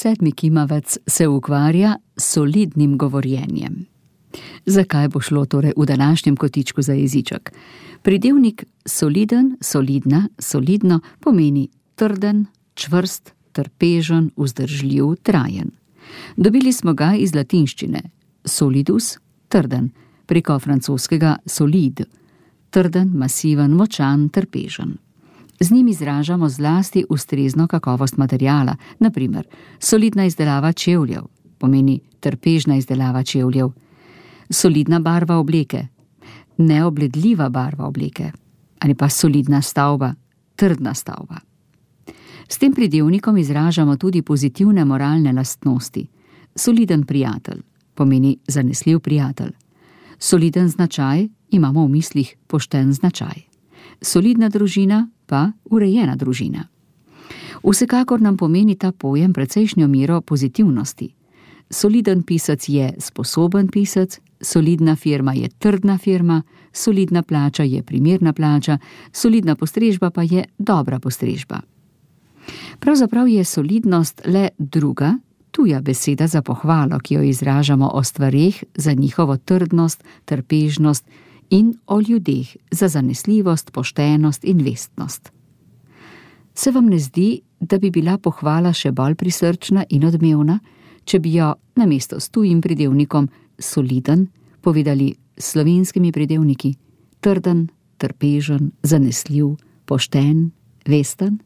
7. kimavec se ukvarja s solidnim govorjenjem. Zakaj bo šlo torej v današnjem kotičku za jeziček? Pridevnik soliden, solidna, solidno pomeni trden, čvrst, trpežen, vzdržljiv, trajen. Dobili smo ga iz latinščine. Solidus, trden, preko francoskega solid, trden, masiven, močan, trpežen. Z njim izražamo zlasti ustrezno kakovost materiala, na primer solidna izdelava čevljev, pomeni trpežna izdelava čevljev, solidna barva obleke, neobledljiva barva obleke, ali pa solidna stavba, trdna stavba. S tem pridevnikom izražamo tudi pozitivne moralne lastnosti. Soliden prijatelj pomeni zanesljiv prijatelj. Soliden značaj imamo v mislih pošten značaj. Solidna družina pa urejena družina. Vsekakor nam pomeni ta pojem precejšnjo mero pozitivnosti. Soliden pisec je sposoben pisec, solidna firma je trdna firma, solidna plača je primerna plača, solidna postrežba pa je dobra postrežba. Pravzaprav je solidnost le druga, tuja beseda za pohvalo, ki jo izražamo o stvareh za njihovo trdnost, trpežnost in o ljudeh za zanesljivost, poštenost in vestnost. Se vam ne zdi, da bi bila pohvala še bolj prisrčna in odmevna, če bi jo namesto s tujim pridevnikom soliden povedali s slovenskimi pridevniki trden, trpežen, zanesljiv, pošten, vesten?